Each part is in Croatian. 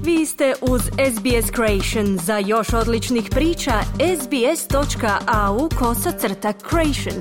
Vi ste uz SBS Creation. Za još odličnih priča, sbs.au/creation.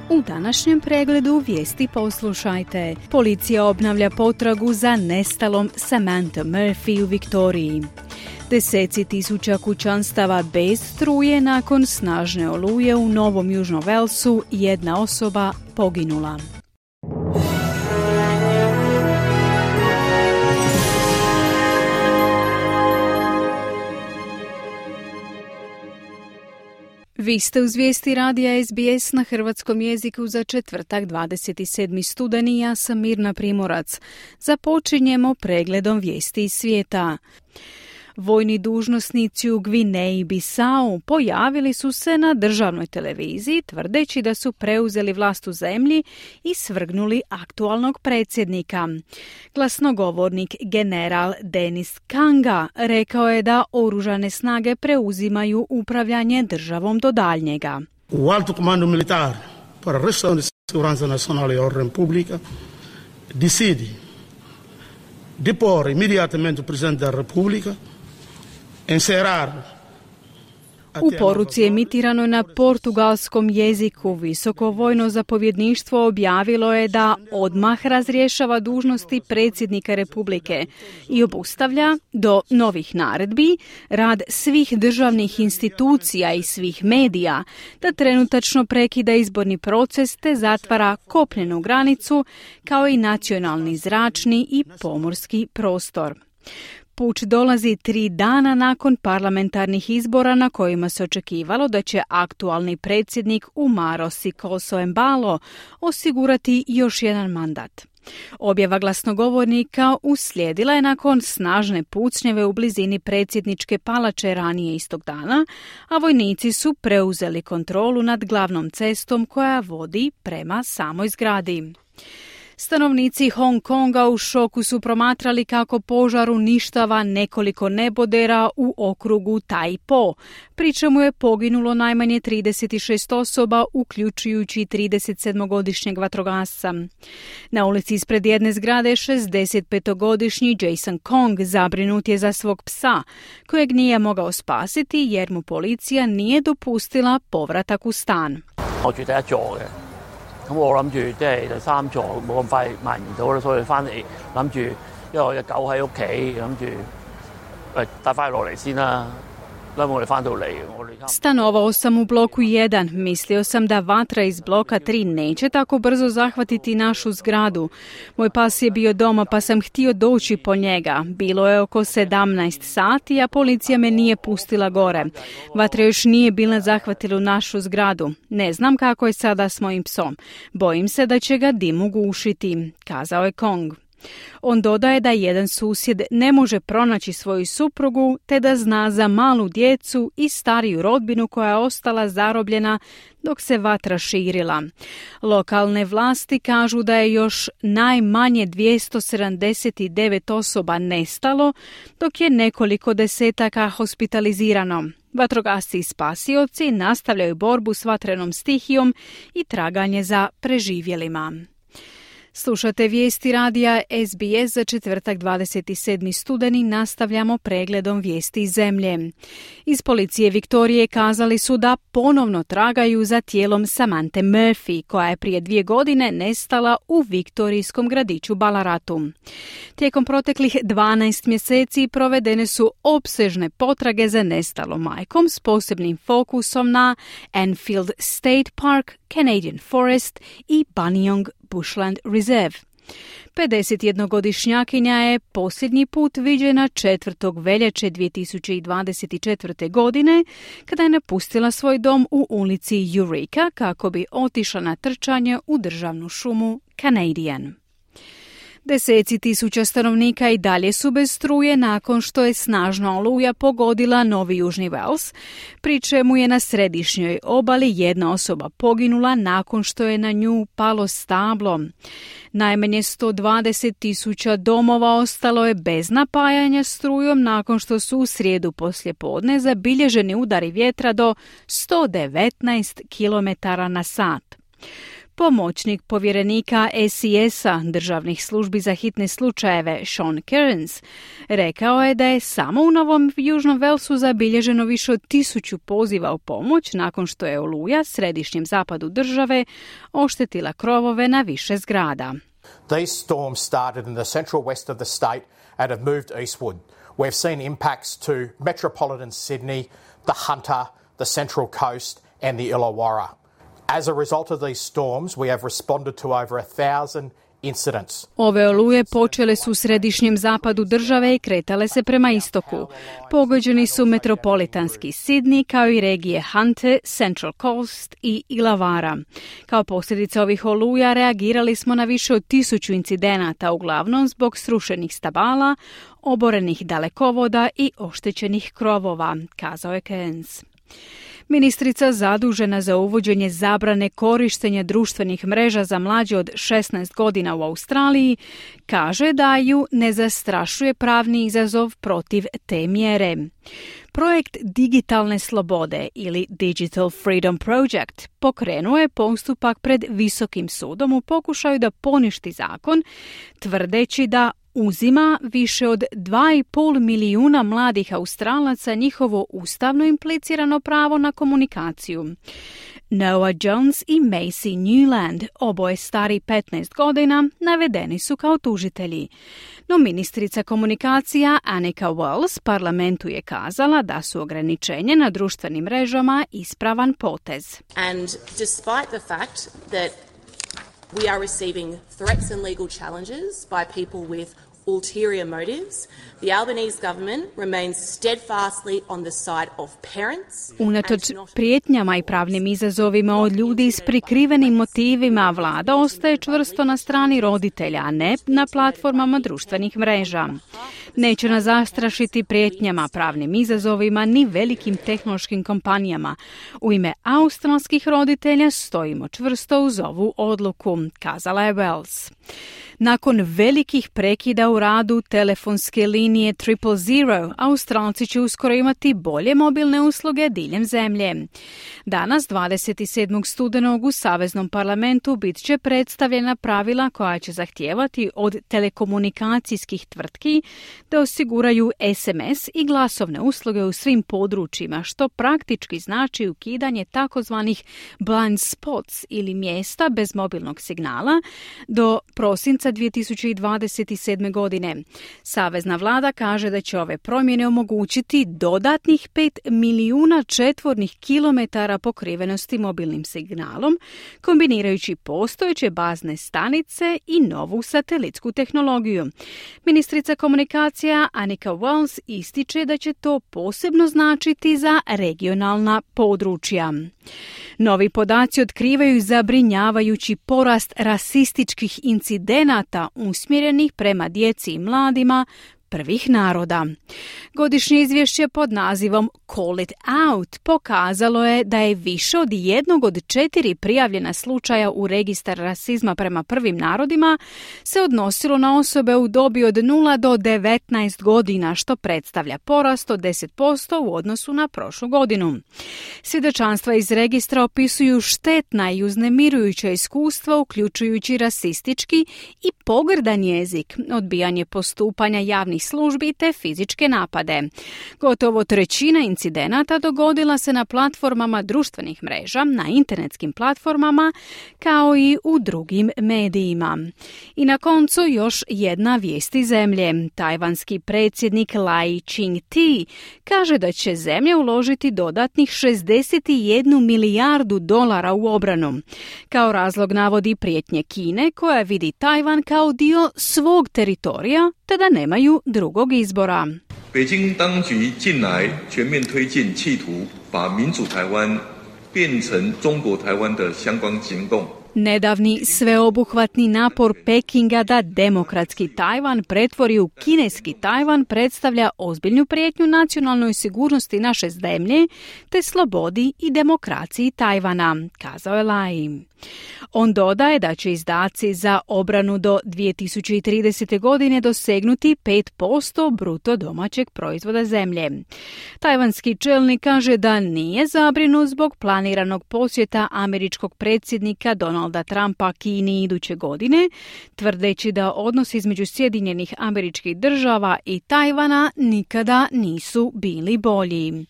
U današnjem pregledu vijesti poslušajte. Policija obnavlja potragu za nestalom Samantha Murphy u Viktoriji. Deseci tisuća kućanstava bez struje nakon snažne oluje u Novom Južnom Walesu, jedna osoba poginula. Vi ste uz vijesti radija SBS na hrvatskom jeziku za četvrtak 27. studeni. Ja sam Mirna Primorac. Započinjemo pregledom vijesti iz svijeta. Vojni dužnosnici u Gvineji Bisau pojavili su se na državnoj televiziji tvrdeći da su preuzeli vlast u zemlji i svrgnuli aktualnog predsjednika. Glasnogovornik general Denis Kanga rekao je da oružane snage preuzimaju upravljanje državom do daljnjega. O Alto Comando Militar para a Restauração de Segurança Nacional e Ordem Pública decide depor imediatamente o Presidente da República. U poruci emitiranoj na portugalskom jeziku visoko vojno zapovjedništvo objavilo je da odmah razrješava dužnosti predsjednika Republike i obustavlja do novih naredbi rad svih državnih institucija i svih medija, da trenutačno prekida izborni proces te zatvara kopnenu granicu kao i nacionalni zračni i pomorski prostor. Puč dolazi 3 dana nakon parlamentarnih izbora na kojima se očekivalo da će aktualni predsjednik Umaro Sikoso Embalo osigurati još jedan mandat. Objava glasnogovornika uslijedila je nakon snažne pucnjeve u blizini predsjedničke palače ranije istog dana, a vojnici su preuzeli kontrolu nad glavnom cestom koja vodi prema samoj zgradi. Stanovnici Hong Konga u šoku su promatrali kako požar uništava nekoliko nebodera u okrugu Tai Po, pri čemu je poginulo najmanje 36 osoba, uključujući 37-godišnjeg vatrogasca. Na ulici ispred jedne zgrade 65-godišnji Jason Kong zabrinut je za svog psa, kojeg nije mogao spasiti jer mu policija nije dopustila povratak u stan. 咁我諗住即係第三座冇咁快蔓延到啦，所以翻嚟諗住，因為我隻狗喺屋企，諗住帶翻落嚟先啦。Stanovao sam u bloku 1. Mislio sam da vatra iz bloka 3 neće tako brzo zahvatiti našu zgradu. Moj pas je bio doma pa sam htio doći po njega. Bilo je oko 17 sati, a policija me nije pustila gore. Vatra još nije bila zahvatila u našu zgradu. Ne znam kako je sada s mojim psom. Bojim se da će ga dim ugušiti, kazao je Kong. On dodaje da jedan susjed ne može pronaći svoju suprugu te da zna za malu djecu i stariju rodbinu koja je ostala zarobljena dok se vatra širila. Lokalne vlasti kažu da je još najmanje 279 osoba nestalo, dok je nekoliko desetaka hospitalizirano. Vatrogasci i spasioci nastavljaju borbu s vatrenom stihijom i traganje za preživjelima. Slušate vijesti radija SBS za četvrtak 27. studeni. Nastavljamo pregledom vijesti iz zemlje. Iz policije Viktorije kazali su da ponovno tragaju za tijelom Samanthe Murphy, koja je prije 2 godine nestala u viktorijskom gradiću Ballaratu. Tijekom proteklih 12 mjeseci provedene su opsežne potrage za nestalom majkom s posebnim fokusom na Enfield State Park, Canadian Forest i Buninyong Bushland Reserve. 51-godišnjakinja je posljednji put viđena 4. veljače 2024. godine kada je napustila svoj dom u ulici Eureka kako bi otišla na trčanje u državnu šumu Canadian. Deseci tisuća stanovnika i dalje su bez struje nakon što je snažna oluja pogodila Novi Južni Wales, pri čemu je na središnjoj obali jedna osoba poginula nakon što je na nju palo stablo. Najmanje 120.000 domova ostalo je bez napajanja strujom nakon što su u srijedu poslijepodne zabilježeni udari vjetra do 119 km/h. Pomoćnik povjerenika SES-a državnih službi za hitne slučajeve Sean Kearns rekao je da je samo u Novom Južnom Walesu zabilježeno više od 1000 poziva u pomoć nakon što je oluja središnjem zapadu države oštetila krovove na više zgrada. These storms started in the central west of the state and have moved eastward. We've seen impacts to metropolitan Sydney, the Hunter, the Central Coast and the Illawarra. As a result of these storms, we have responded to over 1,000 incidents. Ove oluje počele su u središnjem zapadu države i kretale se prema istoku. Pogođeni su metropolitanski Sydney kao i regije Hunter, Central Coast i Illawarra. Kao posljedica ovih oluja reagirali smo na više od 1000 incidenata, uglavnom zbog srušenih stabala, oborenih dalekovoda i oštećenih krovova, kazao je Kearns. Ministrica zadužena za uvođenje zabrane korištenja društvenih mreža za mlađe od 16 godina u Australiji kaže da ju ne zastrašuje pravni izazov protiv te mjere. Projekt Digitalne slobode ili Digital Freedom Project pokrenuo je postupak pred Visokim sudom u pokušaju da poništi zakon, tvrdeći da uzima više od 2,5 milijuna mladih Australaca njihovo ustavno implicirano pravo na komunikaciju. Noah Jones i Macy Newland, oboje stari 15 godina, navedeni su kao tužitelji. No ministrica komunikacija Anika Wells parlamentu je kazala da su ograničenje na društvenim mrežama ispravan potez. And despite the fact that we are receiving threats and legal challenges by people with ulterior motives, the Albanese government remains steadfastly on the side of parents. Unatoč prijetnjama i pravnim izazovima od ljudi s prikrivenim motivima, vlada ostaje čvrsto na strani roditelja, a ne na platformama društvenih mreža. Neće nas zastrašiti prijetnjama, pravnim izazovima ni velikim tehnološkim kompanijama. U ime australskih roditelja stojimo čvrsto uz ovu odluku, kazala je Wells. Nakon velikih prekida u radu telefonske linije 000, Australci će uskoro imati bolje mobilne usluge diljem zemlje. Danas, 27. studenog, u Saveznom parlamentu bit će predstavljena pravila koja će zahtijevati od telekomunikacijskih tvrtki da osiguraju SMS i glasovne usluge u svim područjima, što praktički znači ukidanje takozvanih blind spots ili mjesta bez mobilnog signala do prosinca 2027. godine. Savezna vlada kaže da će ove promjene omogućiti dodatnih 5 milijuna četvornih kilometara pokrivenosti mobilnim signalom, kombinirajući postojeće bazne stanice i novu satelitsku tehnologiju. Ministrica komunikacija Anika Wells ističe da će to posebno značiti za regionalna područja. Novi podaci otkrivaju zabrinjavajući porast rasističkih incidenata usmjerenih prema djeci i mladima prvih naroda. Godišnje izvješće pod nazivom Call it Out pokazalo je da je više od 1 od 4 prijavljena slučaja u registar rasizma prema prvim narodima se odnosilo na osobe u dobi od 0 do 19 godina, što predstavlja porast od 10% u odnosu na prošlu godinu. Svjedočanstva iz registra opisuju štetna i uznemirujuća iskustva, uključujući rasistički i pogrdan jezik, odbijanje postupanja javnih službi te fizičke napade. Gotovo trećina incidenata dogodila se na platformama društvenih mreža, na internetskim platformama, kao i u drugim medijima. I na koncu još jedna vijest iz zemlje. Tajvanski predsjednik Lai Ching-te kaže da će zemlja uložiti dodatnih 61 milijardu dolara u obranu. Kao razlog navodi prijetnje Kine, koja vidi Tajvan kao dio svog teritorija, te da nemaju drugog izbora. 北京当局近来全面推进企图把民主台湾变成中国台湾的相关行动。Nedavni sveobuhvatni napor Pekinga da demokratski Tajvan pretvori u kineski Tajvan predstavlja ozbiljnu prijetnju nacionalnoj sigurnosti naše zemlje te slobodi i demokraciji Tajvana, kazao je Lai. On dodaje da će izdaci za obranu do 2030. godine dosegnuti 5% bruto domaćeg proizvoda zemlje. Tajvanski čelnik kaže da nije zabrinut zbog planiranog posjeta američkog predsjednika Donalda Trumpa Kini iduće godine, tvrdeći da odnosi između Sjedinjenih Američkih Država i Tajvana nikada nisu bili bolji.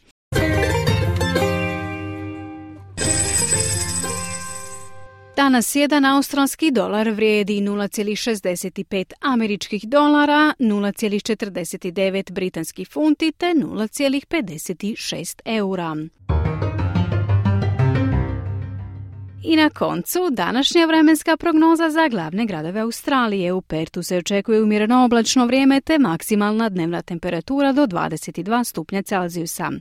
Danas jedan australski dolar vrijedi 0,65 američkih dolara, 0,49 britanskih funti te 0,56 eura. I na koncu, današnja vremenska prognoza za glavne gradove Australije. U Pertu se očekuje umjereno oblačno vrijeme te maksimalna dnevna temperatura do 22 stupnja Celzijusa.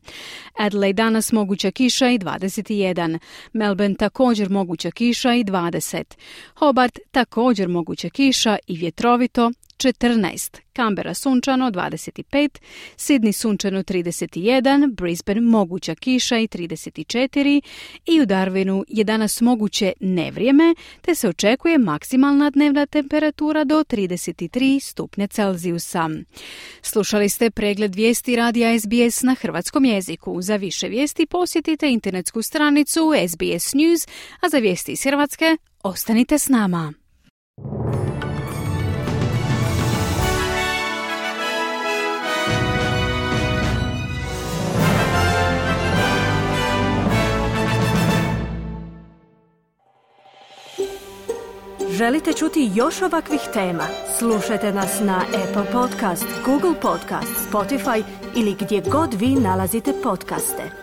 Adelaide danas moguća kiša i 21. Melbourne također moguća kiša i 20. Hobart također moguća kiša i vjetrovito 14. Canberra sunčano 25, Sydney sunčano 31, Brisbane moguća kiša i 34 i u Darwinu je danas moguće nevrijeme te se očekuje maksimalna dnevna temperatura do 33 stupnja Celzijusa. Slušali ste pregled vijesti radija SBS na hrvatskom jeziku. Za više vijesti posjetite internetsku stranicu SBS News, a za vijesti iz Hrvatske ostanite s nama. Želite čuti još ovakvih tema? Slušajte nas na Apple Podcast, Google Podcast, Spotify ili gdje god vi nalazite podcaste.